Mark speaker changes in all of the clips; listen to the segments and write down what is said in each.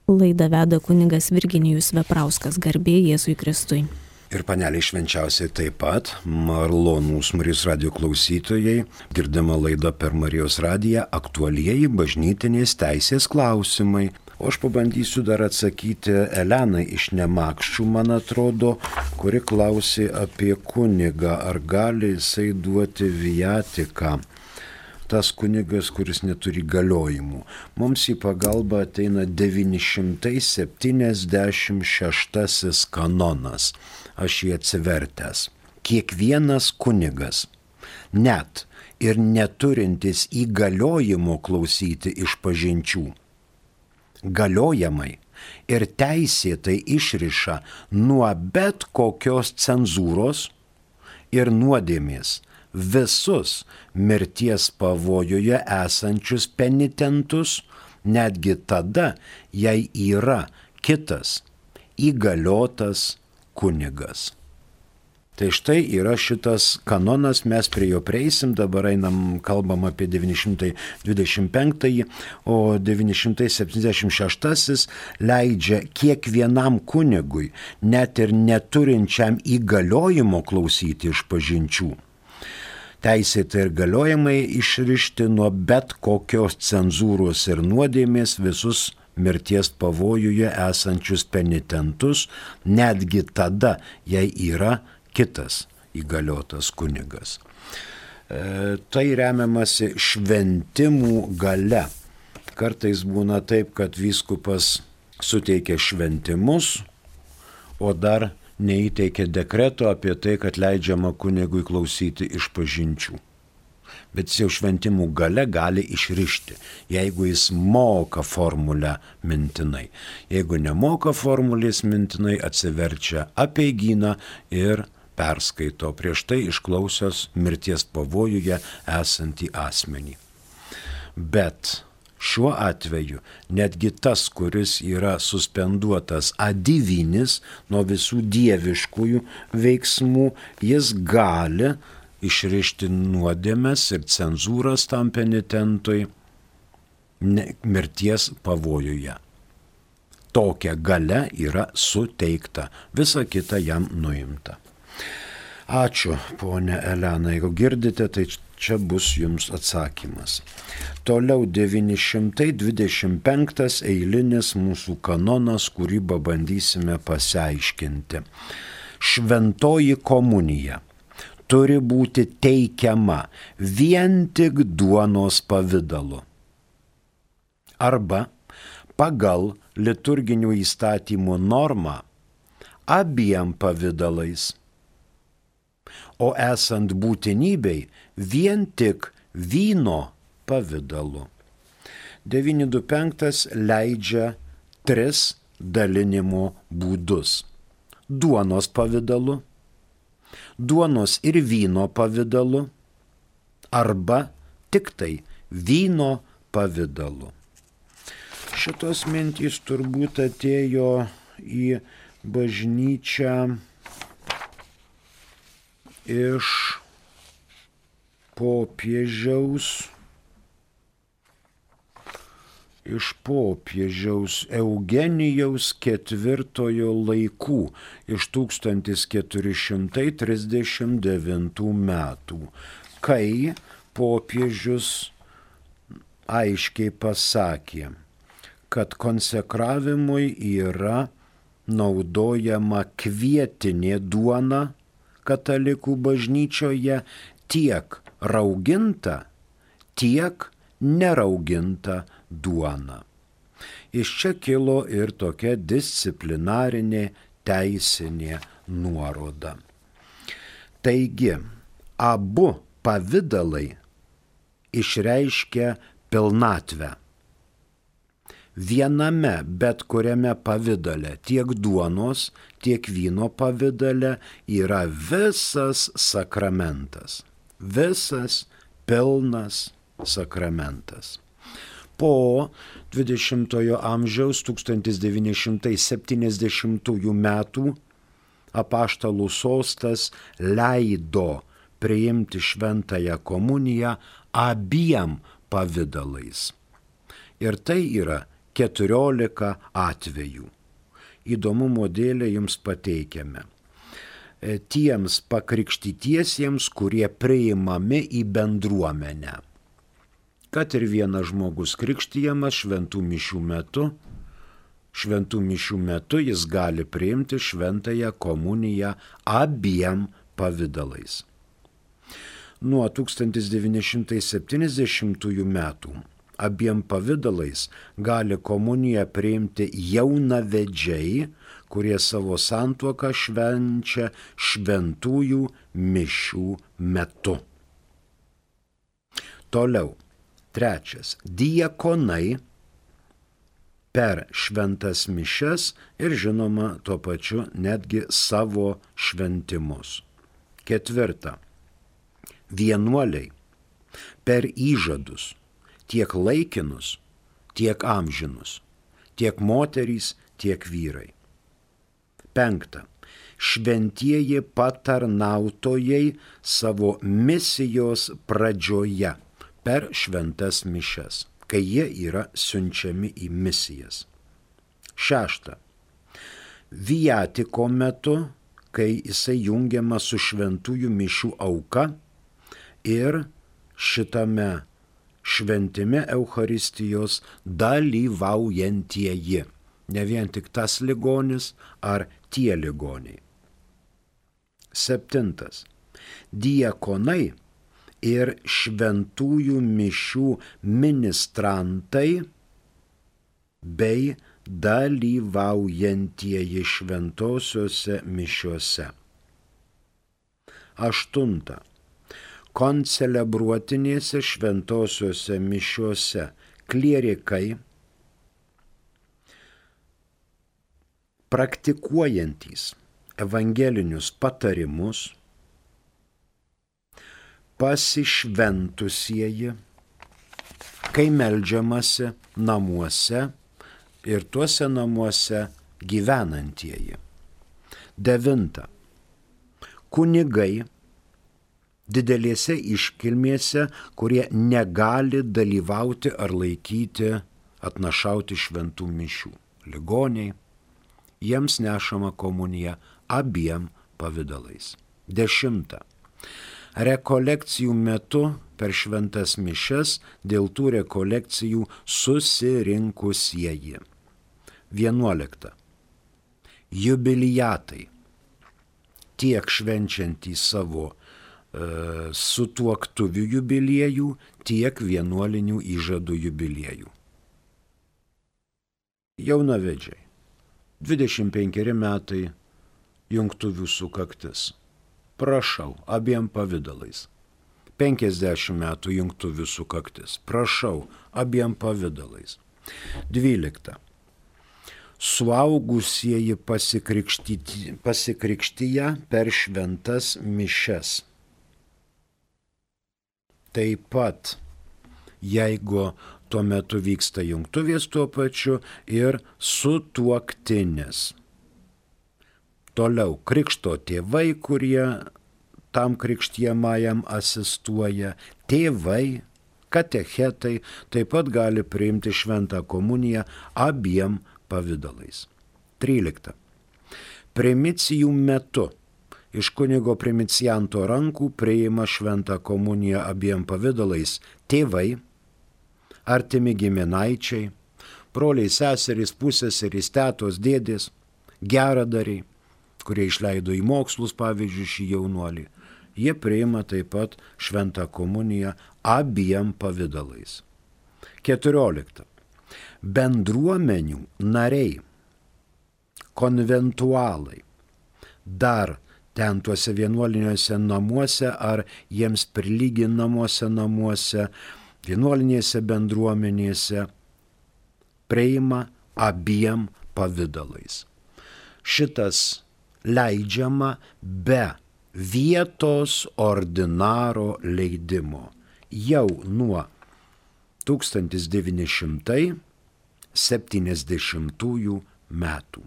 Speaker 1: Laidą veda kunigas Virginijus Veprauskas, garbė Jėzui Kristui.
Speaker 2: Ir paneliai švenčiausiai taip pat, malonūs Marijos radijo klausytojai, girdima laida per Marijos radiją aktualieji bažnytinės teisės klausimai. O aš pabandysiu dar atsakyti Elenai iš Nemakščių, man atrodo, kuri klausė apie kunigą, ar gali jisai duoti viatiką. Tas kunigas, kuris neturi galiojimų. Mums į pagalbą ateina 976 kanonas. Aš jį atsivertęs. Kiekvienas kunigas, net ir neturintis įgaliojimo klausyti išpažinčių, galiojamai ir teisėtai išriša nuo bet kokios cenzūros ir nuodėmės visus mirties pavojuje esančius penitentus, netgi tada, jei yra kitas įgaliotas kunigas. Tai štai yra šitas kanonas, mes prie jo prieisim, dabar kalbam apie 925, o 976 leidžia kiekvienam kunigui, net ir neturinčiam įgaliojimo klausyti išpažinčių, teisėtai ir galiojamai išrišti nuo bet kokios cenzūros ir nuodėmės visus mirties pavojuje esančius penitentus, netgi tada, jei yra kitas įgaliotas kunigas. Tai remiamasi šventimų gale. Kartais būna taip, kad vyskupas suteikia šventimus, o dar neįteikia dekreto apie tai, kad leidžiama kunigui klausyti išpažinčių. Bet jis jau šventimų gale gali išrišti, jeigu jis moka formulę mintinai. Jeigu nemoka formulės mintinai, atsiverčia apeigyną ir perskaito prieš tai išklausęs mirties pavojuje esantį asmenį. Bet šiuo atveju netgi tas, kuris yra suspenduotas adivinis nuo visų dieviškųjų veiksmų, jis gali išrišti nuodėmes ir cenzūras tam penitentui mirties pavojuje. Tokia galia yra suteikta, visa kita jam nuimta. Ačiū, ponė Elena, jeigu girdite, tai čia bus jums atsakymas. Toliau 925 eilinis mūsų kanonas, kurį pabandysime pasiaiškinti. Šventoji komunija turi būti teikiama vien tik duonos pavidalu arba pagal liturginių įstatymų normą abiem pavidalais, o esant būtinybei vien tik vyno pavidalu. 925 leidžia 3 dalinimo būdus. Duonos pavidalu, duonos ir vyno pavidalu arba tik tai vyno pavidalu. Šitos mintys turbūt atėjo į bažnyčią iš popiežiaus Eugenijaus IV laikų, iš 1439 metų, kai popiežius aiškiai pasakė, kad konsekravimui yra naudojama kvietinė duona katalikų bažnyčioje, tiek rauginta, tiek nerauginta duona. Iš čia kilo ir tokia disciplinarinė teisinė nuoroda. Taigi, abu pavidalai išreiškia pilnatvę. Viename bet kuriame pavidale, tiek duonos, tiek vyno pavidale yra visas sakramentas, visas pilnas sakramentas. Po 20-ojo amžiaus 1970 metų apaštalų sostas leido priimti šventąją komuniją abiem pavidalais. Ir tai yra 14 atvejų. Įdomumo dėlei jums pateikiame. Tiems pakrikštytiesiems, kurie priimami į bendruomenę. Kad ir vienas žmogus krikštijamas šventų mišių metu jis gali priimti šventąją komuniją abiem pavidalais. Nuo 1970 metų abiem pavidalais gali komuniją priimti jaunavedžiai, kurie savo santuoką švenčia šventųjų mišių metu. Toliau, 3. Diakonai per šventas mišias ir žinoma tuo pačiu netgi savo šventimus. 4. Vienuoliai per įžadus, tiek laikinus, tiek amžinus, tiek moterys, tiek vyrai. 5. Šventieji patarnautojai savo misijos pradžioje per šventas mišias, kai jie yra siunčiami į misijas. 6. Viatiko metu, kai jisai jungiama su šventųjų mišių auka ir šitame šventime Eucharistijos dalyvaujantieji. Ne vien tik tas ligonis ar tie ligoniai. 7. Diakonai ir šventųjų mišių ministrantai bei dalyvaujantieji šventosiuose mišiuose. 8. Koncelebruotinėse šventosiuose mišiuose klierikai, praktikuojantys evangelinius patarimus, pasišventusieji, kai meldžiamasi namuose ir tuose namuose gyvenantieji. 9. Kunigai didelėse iškilmėse, kurie negali dalyvauti ar laikyti, atnašauti šventų mišių. Ligoniai, jiems nešama komunija abiem pavidalais. 10. Rekolekcijų metu per šventas mišias dėl tų rekolekcijų susirinkusieji. 11. Jubiliatai, tiek švenčiantys savo sutuoktuvių jubiliejų, tiek vienuolinių įžadų jubiliejų. Jaunavedžiai, 25 metai jungtuvių sukaktis. Prašau, abiem pavidalais. 50 metų jungtuvių sukaktis. Prašau, abiem pavidalais. 12. Suaugusieji pasikrikštyje per šventas mišias. Taip pat, jeigu tuo metu vyksta jungtuvės tuo pačiu ir sutuoktinis. Toliau krikšto tėvai, kurie tam krikštijamajam asistuoja, tėvai, katechetai taip pat gali priimti šventą komuniją abiem pavidalais. 13. Primicijų metu iš kunigo primicianto rankų priima šventą komuniją abiem pavidalais tėvai, artimi giminaičiai, broliai, seserys, pusseserys, tetos, dėdės, geradariai, kurie išleido į mokslus, pavyzdžiui, šį jaunuolį. Jie priima taip pat šventą komuniją abiem pavidalais. 14. Bendruomenių nariai, konventualai, dar ten tuose vienuoliniuose namuose ar jiems prilyginamuose namuose, vienuolinėse bendruomenėse priima abiem pavidalais. Šitas leidžiama be vietos ordinaro leidimo jau nuo 1970 metų.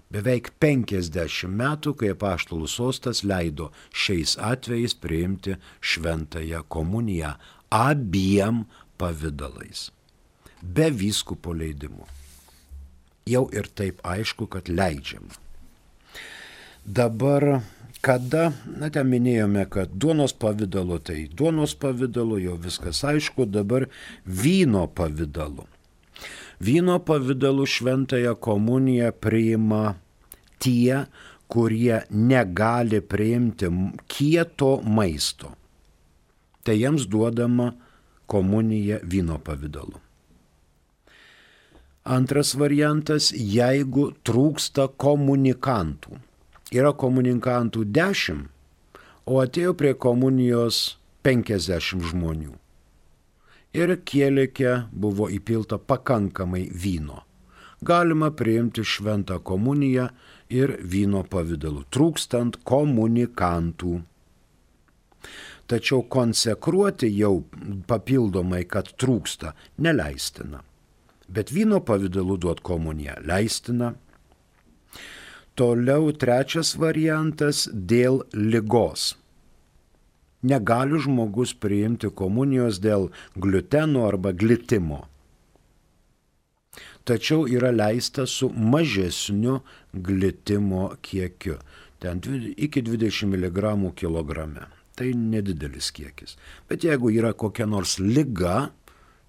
Speaker 2: Beveik 50 metų, kai apaštalų sostas leido šiais atvejais priimti šventąją komuniją abiem pavidalais, be vyskupo leidimo. jau ir taip aišku, kad leidžiama. Dabar, kada, ten minėjome, kad duonos pavidalu, tai duonos pavidalu jau viskas aišku, dabar vyno pavidalu. Vyno pavidalu šventąją komuniją priima tie, kurie negali priimti kieto maisto. Tai jiems duodama komunija vyno pavidalu. Antras variantas, jeigu trūksta komunikantų. Yra komunikantų 10, o atėjo prie komunijos 50 žmonių. Ir kielike buvo įpilta pakankamai vyno. Galima priimti šventą komuniją ir vyno pavidalu, trūkstant komunikantų. Tačiau konsekruoti jau papildomai, kad trūksta, neleistina. Bet vyno pavidalu duot komuniją leistina. Toliau trečias variantas dėl ligos. Negali žmogus priimti komunijos dėl gliuteno arba glitimo. Tačiau yra leista su mažesniu glitimo kiekiu. Ten iki 20 mg kilograme. Tai nedidelis kiekis. Bet jeigu yra kokia nors liga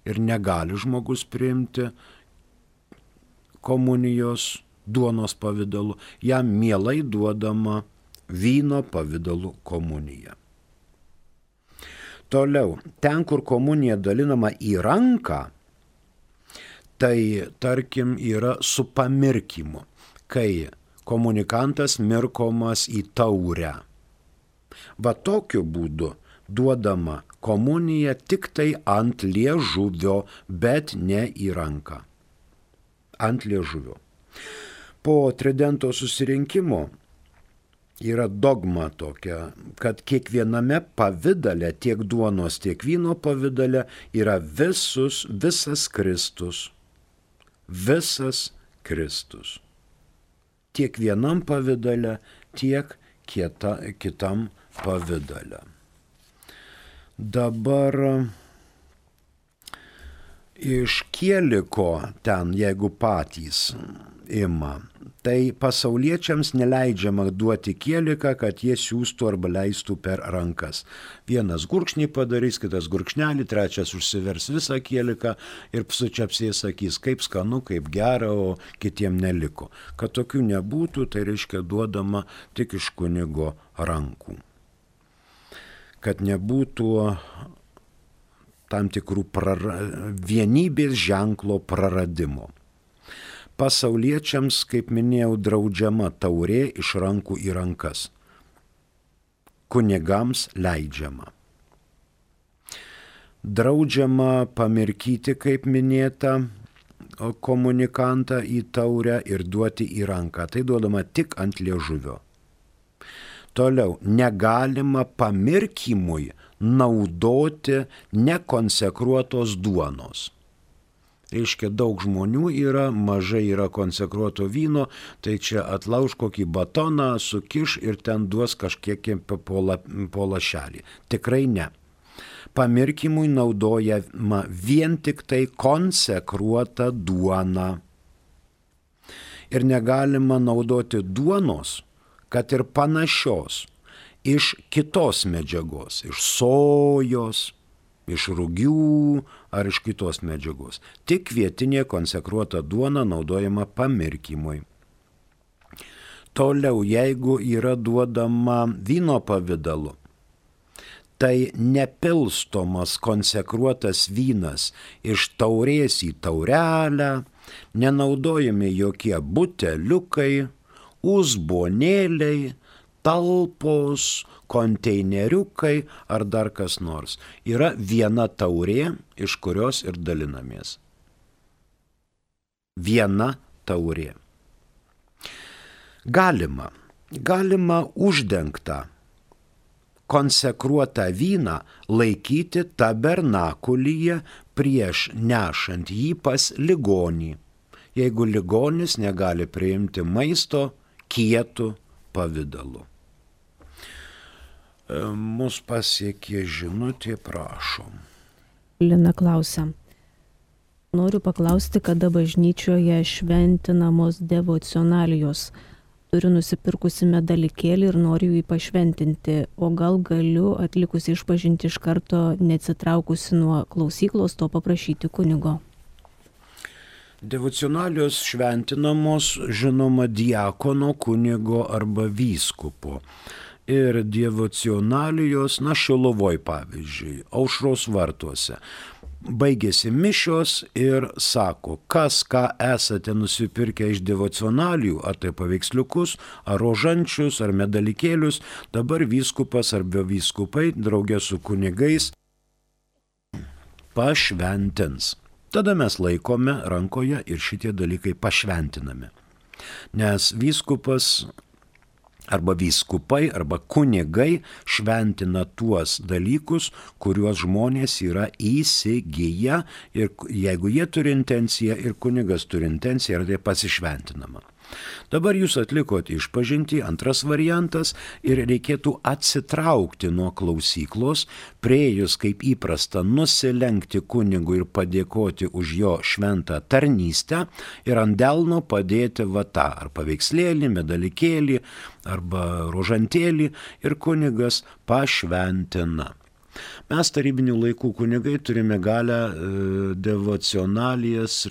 Speaker 2: ir negali žmogus priimti komunijos duonos pavidalu, jam mielai duodama vyno pavidalu komunija. Toliau, ten, kur komunija dalinama į ranką, tai, tarkim, yra su pamirkimu, kai komunikantas mirkomas į taurę. Va tokiu būdu duodama komunija tik tai ant liežuvio, bet ne į ranką. Ant liežuvio. Po tridento susirinkimo yra dogma tokia, kad kiekviename pavidale, tiek duonos, tiek vyno pavidale yra visas Kristus. Visas Kristus. Tiek vienam pavidale, tiek kitam pavidale. Dabar iš kieliko ten, jeigu patys ima, tai pasauliečiams neleidžiama duoti kieliką, kad jie siūstų arba leistų per rankas. Vienas gurkšnį padarys, kitas gurkšnelį, trečias užsivers visą kieliką ir sučiapsiai sakys, kaip skanu, kaip gera, o kitiem neliko. Kad tokių nebūtų, tai reiškia duodama tik iš kunigo rankų. Kad nebūtų tam tikrų vienybės ženklo praradimo. Pasauliečiams, kaip minėjau, draudžiama taurė iš rankų į rankas. Kunigams leidžiama. Draudžiama pamirkyti, kaip minėta, komunikantą į taurę ir duoti į ranką. Tai duodama tik ant liežuvio. Toliau, negalima pamirkimui naudoti nekonsekruotos duonos. Reiškia, daug žmonių yra, mažai yra konsekruoto vyno, tai čia atlauž kokį batoną, sukiš ir ten duos kažkiek po lašelį. Tikrai ne. Pamirkimui naudojama vien tik tai konsekruota duona. Ir negalima naudoti duonos, kad ir panašios, iš kitos medžiagos, iš sojos, iš rugių ar iš kitos medžiagos. Tik vietinė konsekruota duona naudojama pamirkimui. Toliau, jeigu yra duodama vyno pavidalu, tai nepilstomas konsekruotas vynas iš taurės į taurelę, nenaudojami jokie buteliukai, uzbonėliai, talpos, konteineriukai ar dar kas nors. Yra viena taurė, iš kurios ir dalinamės. Viena taurė. Galima uždengtą konsekruotą vyną laikyti tabernakulyje prieš nešant jį pas ligonį, jeigu ligonis negali priimti maisto kietų pavidalu. Mus pasiekė žinutė, prašom.
Speaker 1: Lina klausia, Noriu paklausti, kada bažnyčioje šventinamos devocionalijos. Turiu nusipirkusi medalikėlį ir noriu jį pašventinti, o gal galiu atlikusi išpažinti iš karto, neatsitraukusi nuo klausyklos, to paprašyti kunigo.
Speaker 2: Devocionalijos šventinamos, žinoma, diakono, kunigo arba vyskupo. Ir devocionalijos, Šiluvoj pavyzdžiui, Aušros vartuose. Baigėsi mišios ir sako, kas ką esate nusipirkę iš devocionalijų, ar tai paveiksliukus, ar rožančius, ar medalikėlius, dabar vyskupas arba vyskupai draugė su kunigais pašventins. Tada mes laikome rankoje ir šitie dalykai pašventinami. Nes vyskupas arba vyskupai arba kunigai šventina tuos dalykus, kuriuos žmonės yra įsigiję ir jeigu jie turi intenciją ir kunigas turi intenciją, tai pasišventinama. Dabar jūs atlikot išpažintį, antras variantas, ir reikėtų atsitraukti nuo klausyklos, priėjus kaip įprasta nusilenkti kunigui ir padėkoti už jo šventą tarnystę ir ant delno padėti vatą, ar paveikslėlį, medalikėlį, arba rožantėlį ir kunigas pašventina. Mes tarybinių laikų kunigai turime galę devocionalijas,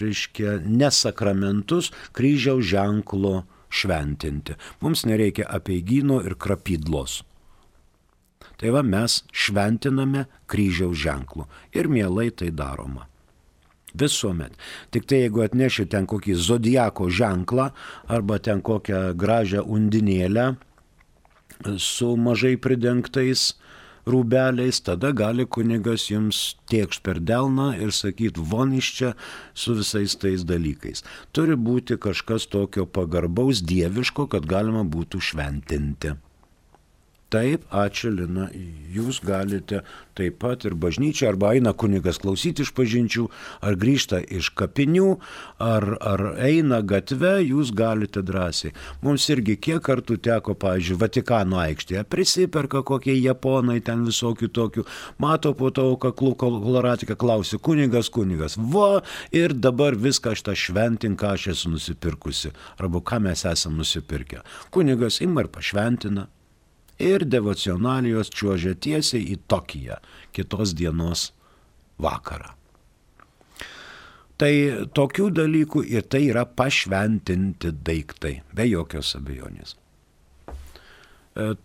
Speaker 2: ne sakramentus, kryžiaus ženklo šventinti. Mums nereikia apeigyno ir krapydlos. Tai va mes šventiname kryžiaus ženklu ir mielai tai daroma. Visuomet. Tik tai jeigu atneši ten kokį zodiako ženklą arba ten kokią gražią undinėlę su mažai pridengtais rūbeliais, tada gali kunigas jums tėkšt per delną ir sakyt, von iš čia su visais tais dalykais. Turi būti kažkas tokio pagarbaus, dieviško, kad galima būtų šventinti. Taip, ačiū Lina, jūs galite taip pat ir bažnyčia, arba eina kunigas klausyti išpažinčių, ar grįžta iš kapinių, ar eina gatve, jūs galite drąsiai. Mums irgi kiek kartų teko, pavyzdžiui, Vatikano aikštėje, prisiperka kokie japonai ten visokių tokių, mato po to kaklų koloratiką, klausia, kunigas, va, ir dabar viską šitą šventink, ką aš esu nusipirkusi, arba ką mes esam nusipirkę. Kunigas ima ir pašventina. Ir devocionalijos čiuožia tiesiai į Tokiją kitos dienos vakarą. Tai tokių dalykų ir tai yra pašventinti daiktai, be jokios abejonės.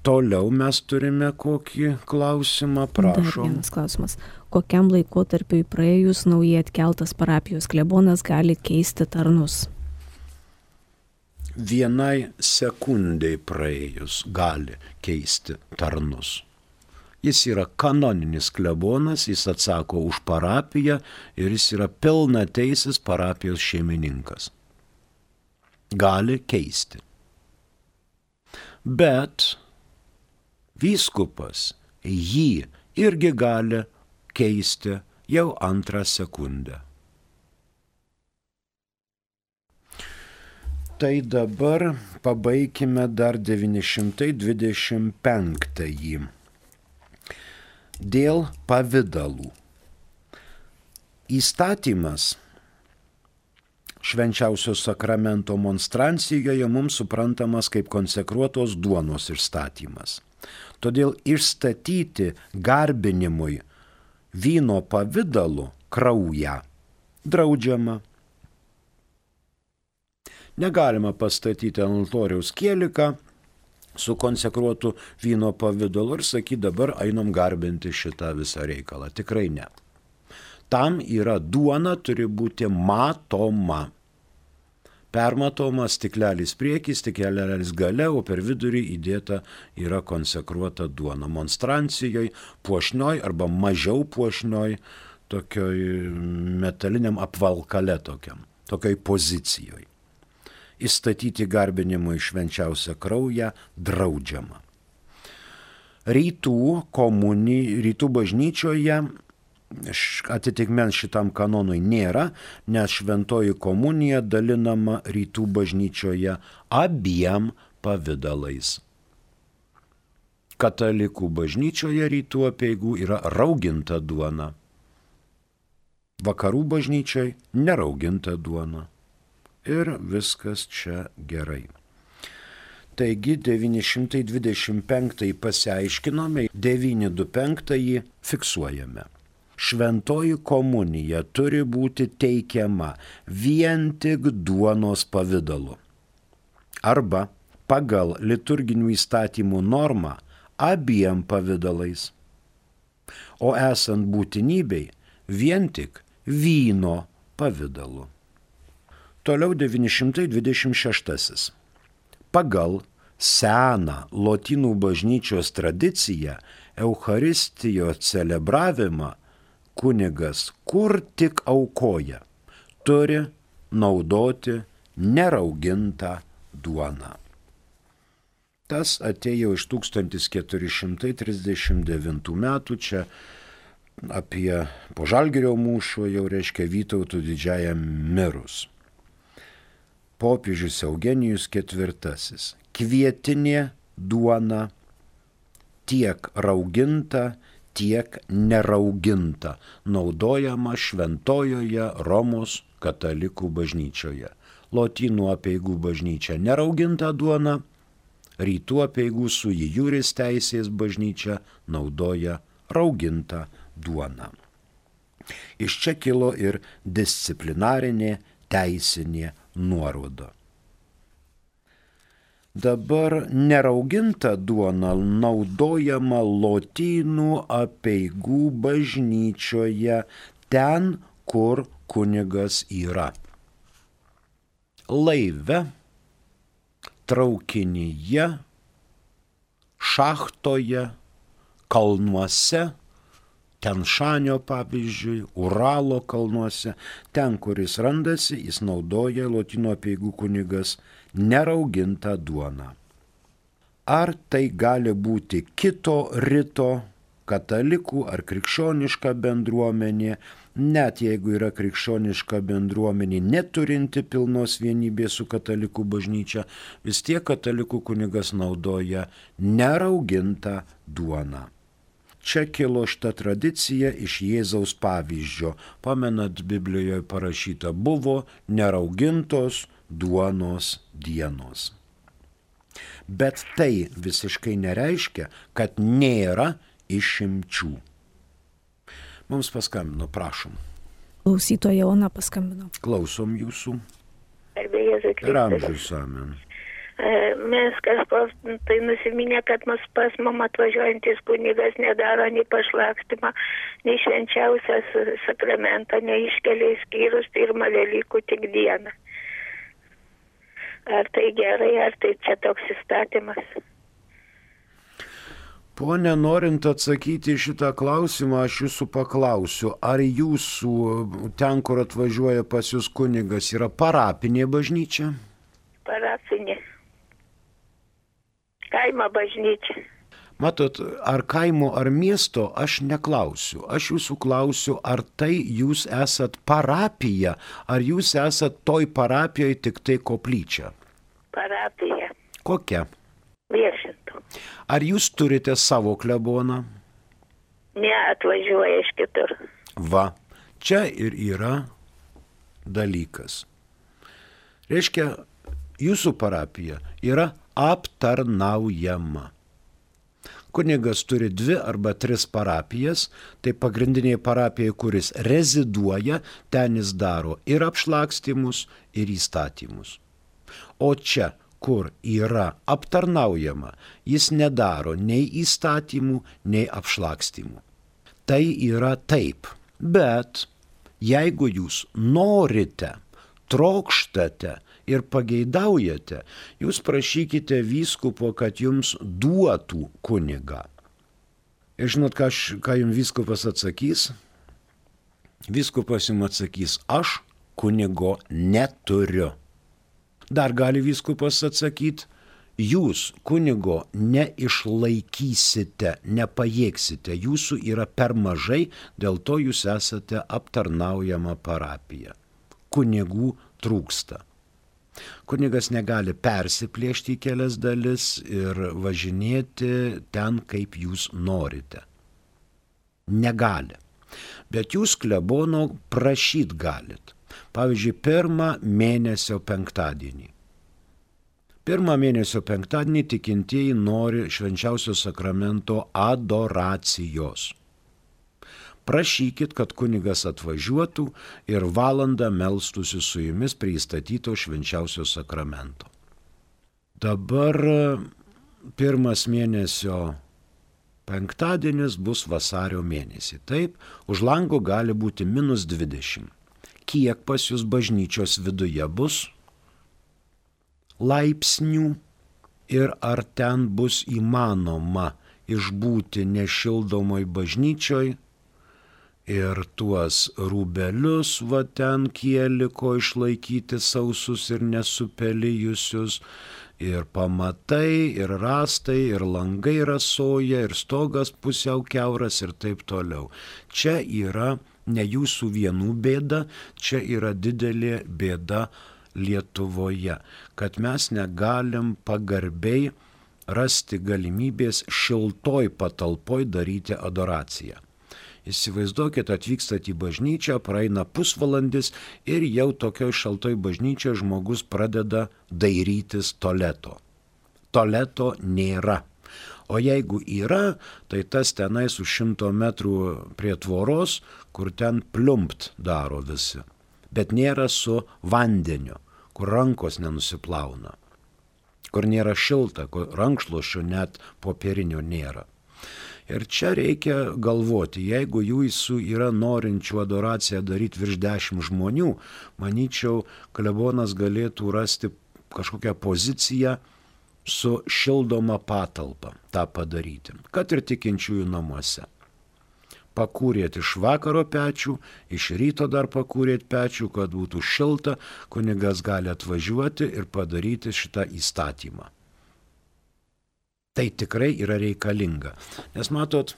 Speaker 2: Toliau mes turime kokį klausimą, prašom.
Speaker 1: Dar vienas klausimas. Kokiam laikotarpiui praėjus naujai atkeltas parapijos klebonas gali keisti tarnus?
Speaker 2: Vienai sekundai praėjus gali keisti tarnus. Jis yra kanoninis klebonas, jis atsako už parapiją ir jis yra pilnateisis parapijos šeimininkas. Gali keisti. Bet vyskupas jį irgi gali keisti jau antrą sekundę. Tai dabar pabaikime dar 925. Dėl pavidalų. Įstatymas švenčiausio sakramento monstrancijoje mums suprantamas kaip konsekruotos duonos išstatymas. Todėl išstatyti garbinimui vyno pavidalu kraują draudžiama. Negalima pastatyti ant altoriaus kieliką su konsekruotu vyno pavidalu ir sakyti, dabar einam garbinti šitą visą reikalą. Tikrai ne. Tam yra duona, turi būti matoma. Permatoma stiklelis priekį, stiklelis gale, o per vidurį įdėta yra konsekruota duona. Monstrancijoje, puošnioj arba mažiau puošnioj, tokioj metaliniam apvalkale tokioj pozicijoje. Įstatyti garbinimui švenčiausią kraują draudžiama. Rytų bažnyčioje atitikmens šitam kanonui nėra, nes šventoji komunija dalinama rytų bažnyčioje abiem pavidalais. Katalikų bažnyčioje rytų apeigų yra rauginta duona. Vakarų bažnyčiai nerauginta duona. Ir viskas čia gerai. Taigi 925 pasiaiškinome, 925 fiksuojame. Šventoji komunija turi būti teikiama vien tik duonos pavidalu. Arba pagal liturginių įstatymų normą abiem pavidalais. O esant būtinybei vien tik vyno pavidalu. Toliau 926. Pagal seną lotynų bažnyčios tradiciją Eucharistijos celebravimą kunigas kur tik aukoja, turi naudoti neraugintą duoną. Tas atėjo iš 1439 metų, čia apie po Žalgirio mūšio jau reiškia Vytautų didžiajam mirus. Popiežius Eugenijus IV. Kvietinė duona tiek rauginta, tiek nerauginta, naudojama šventojoje Romos katalikų bažnyčioje. Lotynų apeigų bažnyčia nerauginta duona, rytų apeigų sui juris teisės bažnyčia naudoja raugintą duoną. Iš čia kilo ir disciplinarinė teisinė nuoroda. Dabar nerauginta duona naudojama lotynų apeigų bažnyčioje ten, kur kunigas yra. Laive, traukinyje, šachtoje, kalnuose, Tenšanio pavyzdžiui, Uralo kalnuose, ten, kur jis randasi, jis naudoja lotynų apeigų kunigas neraugintą duoną. Ar tai gali būti kito rito, katalikų ar krikščioniška bendruomenė, net jeigu yra krikščioniška bendruomenė neturinti pilnos vienybės su katalikų bažnyčia, vis tiek katalikų kunigas naudoja neraugintą duoną. Čia kilo šita tradicija iš Jėzaus pavyzdžio. Pamenat, Biblijoje parašyta, buvo neraugintos duonos dienos. Bet tai visiškai nereiškia, kad nėra išimčių. Mums paskambino, prašom.
Speaker 1: Klausytoja Ona paskambino.
Speaker 2: Klausom jūsų.
Speaker 3: Ir
Speaker 2: amžius amen.
Speaker 3: Mes kažko tai nusiminė, kad mus pas mum atvažiuojantis kunigas nedaro nei pašlakstymą, nei švenčiausias sakramentą, nei iškelia skyrus pirmą Velykų tik dieną. Ar tai gerai, ar tai čia toks įstatymas?
Speaker 2: Pone, norint atsakyti šitą klausimą, aš jūsų paklausiu, ar jūsų ten, kur atvažiuoja pas jūs kunigas, yra parapinė bažnyčia?
Speaker 3: Parapinė. Kaimo bažnyčia.
Speaker 2: Matot, ar kaimo, ar miesto, aš neklausiu. Aš jūsų klausiu, ar tai jūs esat parapija, ar jūs esat toj parapijoje tik tai koplyčia?
Speaker 3: Parapija.
Speaker 2: Kokia?
Speaker 3: Viešintų.
Speaker 2: Ar jūs turite savo kleboną?
Speaker 3: Ne, atvažiuoja iš kitur.
Speaker 2: Va, čia ir yra dalykas. Reiškia, jūsų parapija yra aptarnaujama. Kunigas turi 2 arba 3 parapijas, tai pagrindinė parapija, kuris reziduoja, ten jis daro ir apšlakstymus, ir įstatymus. O čia, kur yra aptarnaujama, jis nedaro nei įstatymų, nei apšlakstymų. Tai yra taip, bet jeigu jūs norite, trokštate ir pageidaujate, jūs prašykite vyskupo, kad jums duotų kunigą. Ir žinot, ką jums vyskupas atsakys? Vyskupas jums atsakys, aš kunigo neturiu. Dar gali vyskupas atsakyti, jūs kunigo neišlaikysite, nepajėgsite, jūsų yra per mažai, dėl to jūs esate aptarnaujama parapija. Kunigų trūksta. Kunigas negali persiplėšti į kelias dalis ir važinėti ten, kaip jūs norite. Negali. Bet jūs klebono prašyt galit. Pavyzdžiui, 1 mėnesio penktadienį. 1 mėnesio penktadienį tikintieji nori švenčiausio sakramento adoracijos. Prašykit, kad kunigas atvažiuotų ir valandą melstųsi su jumis prie įstatyto švenčiausio sakramento. Dabar 1 mėnesio penktadienis bus vasario mėnesį. Taip, už lango gali būti -20. Kiek pas jūs bažnyčios viduje bus laipsnių ir ar ten bus įmanoma išbūti nešildomoj bažnyčioj ir tuos rūbelius va ten kieliko išlaikyti sausus ir nesupelijusius, ir pamatai, ir rastai, ir langai rasoja, ir stogas pusiau kiauras ir taip toliau. Čia yra ne jūsų vienų bėda, čia yra didelė bėda Lietuvoje, kad mes negalim pagarbiai rasti galimybės šiltoj patalpoj daryti adoraciją. Įsivaizduokit, atvykstat į bažnyčią, praeina pusvalandis ir jau tokioj šaltoj bažnyčioje žmogus pradeda dairytis tualeto. Tualeto nėra. O jeigu yra, tai tas tenais už 100 metrų prie tvoros, kur ten pliumpt daro visi. Bet nėra su vandeniu, kur rankos nenusiplauna, kur nėra šilta, kur rankšluosčio net popierinio nėra. Ir čia reikia galvoti, jeigu jūsų yra norinčių adoraciją daryti virš 10 žmonių, manyčiau, klebonas galėtų rasti kažkokią poziciją su šildoma patalpa tą padaryti, kad ir tikinčiųjų namuose. Pakūrėt iš vakaro pečių, iš ryto dar pakūrėt pečių, kad būtų šilta, kunigas gali atvažiuoti ir padaryti šitą įstatymą. Tai tikrai yra reikalinga. Nes matot,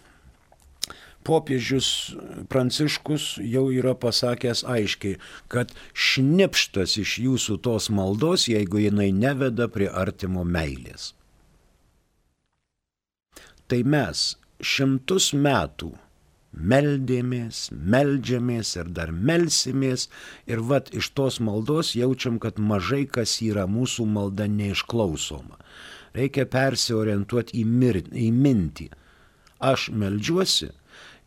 Speaker 2: popiežius Pranciškus jau yra pasakęs aiškiai, kad šnipštas iš jūsų tos maldos, jeigu jinai neveda prie artimo meilės. Tai mes 100 metų meldžiamės ir dar melsimės ir vat iš tos maldos jaučiam, kad mažai kas yra mūsų malda neišklausoma. Reikia persiorientuoti į mintį. Aš meldžiuosi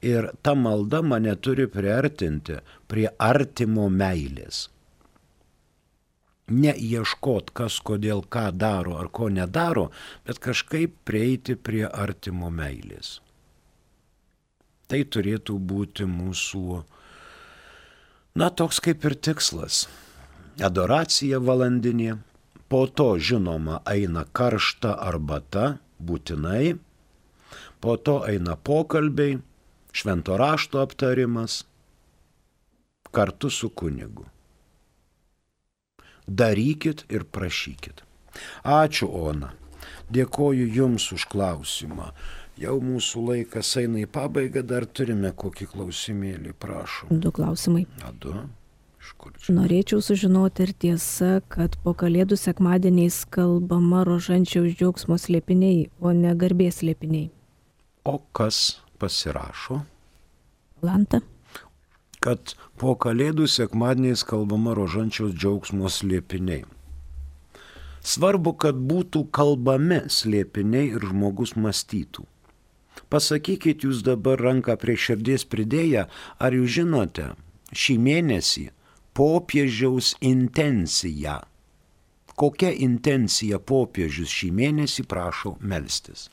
Speaker 2: ir ta malda mane turi priartinti prie artimo meilės. Neieškot, kas kodėl ką daro ar ko nedaro, bet kažkaip prieiti prie artimo meilės. Tai turėtų būti mūsų, toks kaip ir tikslas. Adoracija valandinė. Po to, žinoma, eina karšta arbata, būtinai, po to eina pokalbiai, švento rašto aptarimas, kartu su kunigu. Darykit ir prašykit. Ačiū, Ona. Dėkoju Jums už klausimą. Jau mūsų laikas eina į pabaigą, dar turime kokį klausimėlį, prašom.
Speaker 1: 2 klausimai.
Speaker 2: 2.
Speaker 1: Norėčiau sužinoti ir tiesa, kad po Kalėdų sekmadieniais kalbama rožančiaus džiaugsmo slėpiniai, o ne garbės slėpiniai.
Speaker 2: O kas pasirašo?
Speaker 1: Lanta.
Speaker 2: Kad po Kalėdų sekmadieniais kalbama rožančiaus džiaugsmo slėpiniai. Svarbu, kad būtų kalbami slėpiniai ir žmogus mąstytų. Pasakykit jūs dabar ranką prie širdies pridėję, ar jūs žinote šį mėnesį popiežiaus intencija. Kokia intencija popiežius šį mėnesį prašo melstis?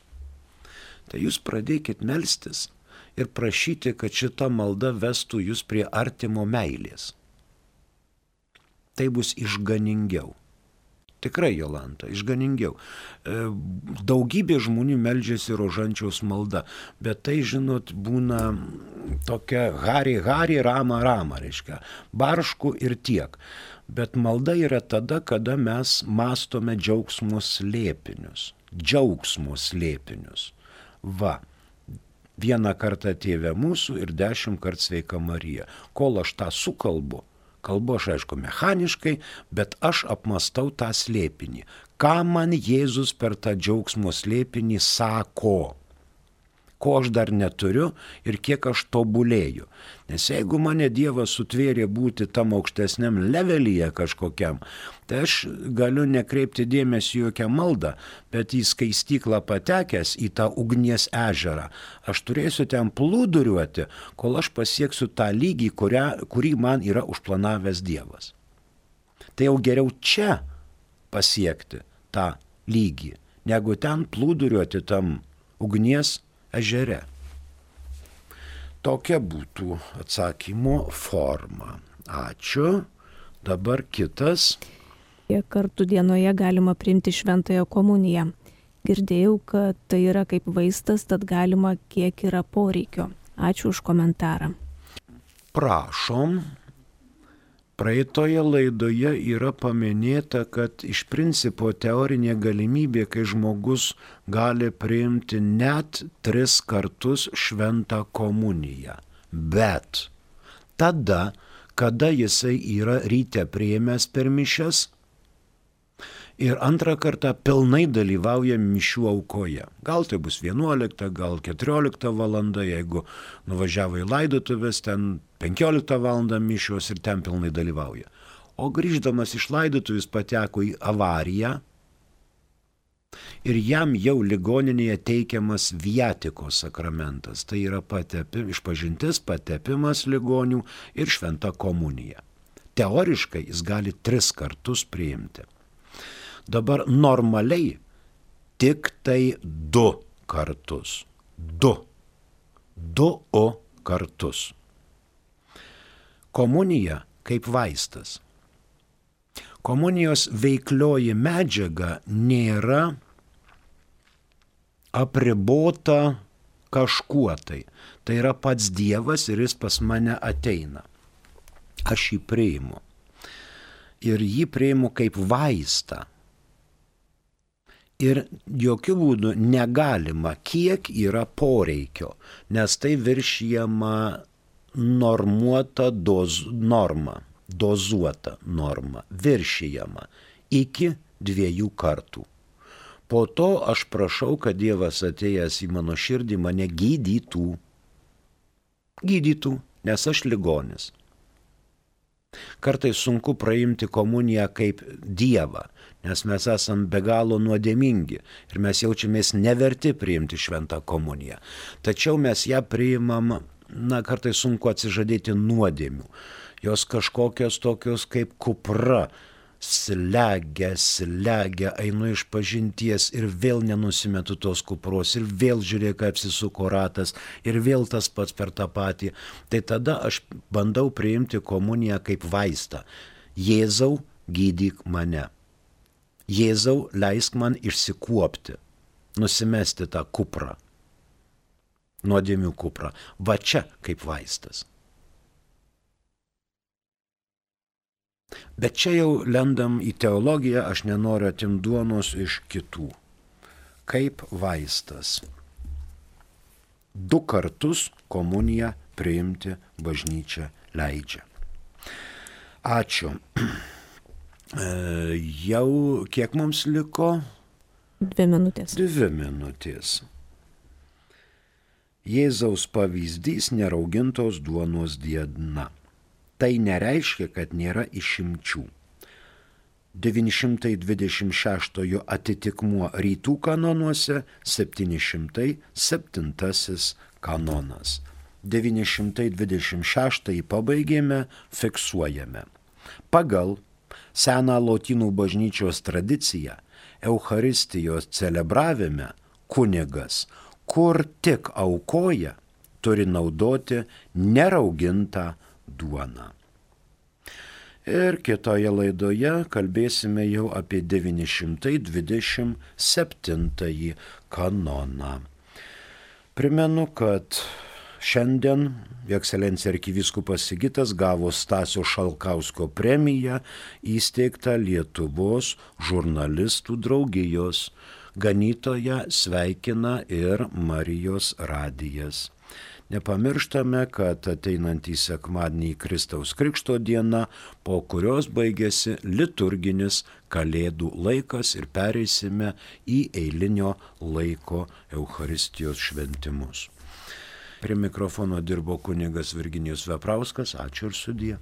Speaker 2: Tai jūs pradėkit melstis ir prašyti, kad šita malda vestų jūs prie artimo meilės. Tai bus išganingiau. Tikrai, Jolanta, išganingiau. Daugybė žmonių meldžiasi rožančiaus malda, bet tai, žinot, būna tokia hari, rama, reiškia, baršku ir tiek. Bet malda yra tada, kada mes mąstome džiaugsmo slėpinius. Džiaugsmo slėpinius. Va, 1 kartą Tėve mūsų ir 10 kartų Sveika Marija. Kol aš tą sukalbu, kalbu aš aišku mechaniškai, bet aš apmastau tą slėpinį. Ką man Jėzus per tą džiaugsmo slėpinį sako? ko aš dar neturiu ir kiek aš tobulėju. Nes jeigu mane Dievas sutvėrė būti tam aukštesniam levelyje kažkokiam, tai aš galiu nekreipti dėmesį jokią maldą, bet į skaistyklą patekęs į tą ugnies ežerą, aš turėsiu ten plūduriuoti, kol aš pasieksiu tą lygį, kurį man yra užplanavęs Dievas. Tai jau geriau čia pasiekti tą lygį, negu ten plūduriuoti tam ugnies ežere. Tokia būtų atsakymo forma. Ačiū. Dabar kitas.
Speaker 1: Kiek kartų dienoje galima priimti šventąją komuniją? Girdėjau, kad tai yra kaip vaistas, tad galima kiek yra poreikio. Ačiū už komentarą.
Speaker 2: Prašom. Praeitoje laidoje yra paminėta, kad iš principo teorinė galimybė, kai žmogus gali priimti net 3 kartus šventą komuniją. Bet tada, kada jisai yra ryte priėmęs per mišias ir antrą kartą pilnai dalyvauja mišių aukoje. Gal tai bus 11, gal 14 valanda, jeigu nuvažiavo į laidotuvės, ten 15 valandą mišios ir ten pilnai dalyvauja. O grįždamas iš laidotuvės pateko į avariją ir jam jau ligoninėje teikiamas viatikos sakramentas. Tai yra išpažintis, patepimas ligonių ir šventa komunija. Teoriškai jis gali 3 kartus priimti. Dabar normaliai tik tai 2 kartus. 2 kartus. Komunija kaip vaistas. Komunijos veiklioji medžiaga nėra apribota kažkuo tai. Tai yra pats Dievas ir jis pas mane ateina. Aš jį priimu. Ir jį priimu kaip vaistą. Ir jokių būdų negalima, kiek yra poreikio, nes tai viršijama normuota norma, dozuota norma, viršijama iki 2 kartų. Po to aš prašau, kad Dievas atėjęs į mano širdį mane gydytų. Gydytų, nes aš ligonis. Kartais sunku praimti komuniją kaip Dievą, nes mes esam be galo nuodėmingi ir mes jaučiamės neverti priimti šventą komuniją. Tačiau mes ją priimam, kartais sunku atsižadėti nuodėmių. Jos kažkokios tokios kaip kupra, slegia, einu iš pažinties ir vėl nenusimetu tos kupros ir vėl žiūrėk, kaip apsisuko ratas ir vėl tas pats per tą patį. Tai tada aš bandau priimti komuniją kaip vaistą. Jėzau, gydyk mane. Jėzau, leisk man išsikuopti, nusimesti tą kuprą, nuodėmių kuprą. Va čia kaip vaistas. Bet čia jau lendam į teologiją, aš nenoriu atimti duonos iš kitų. Kaip vaistas. 2 kartus komuniją priimti bažnyčia leidžia. Ačiū. Jau kiek mums liko?
Speaker 1: 2 minutės.
Speaker 2: 2 minutės. Jėzaus pavyzdys neraugintos duonos diena. Tai nereiškia, kad nėra išimčių. 926 atitikmuo rytų kanonuose, 707 kanonas. 926 pabaigėme, fiksuojame. Pagal seną lotynų bažnyčios tradiciją, Eucharistijos celebravime kunigas, kur tik aukoja, turi naudoti neraugintą duoną. Ir kitoje laidoje kalbėsime jau apie 927 kanoną. Primenu, kad šiandien Ekscelencija arkivyskupas Sigitas gavo Stasio Šalkausko premiją įsteigtą Lietuvos žurnalistų draugijos. Ganytoją sveikina ir Marijos radijas. Nepamirštame, kad ateinantį sekmadienį Kristaus Krikšto diena, po kurios baigėsi liturginis Kalėdų laikas ir pereisime į eilinio laiko Eucharistijos šventimus. Prie mikrofono dirbo kunigas Virginijus Veprauskas. Ačiū ir sudie.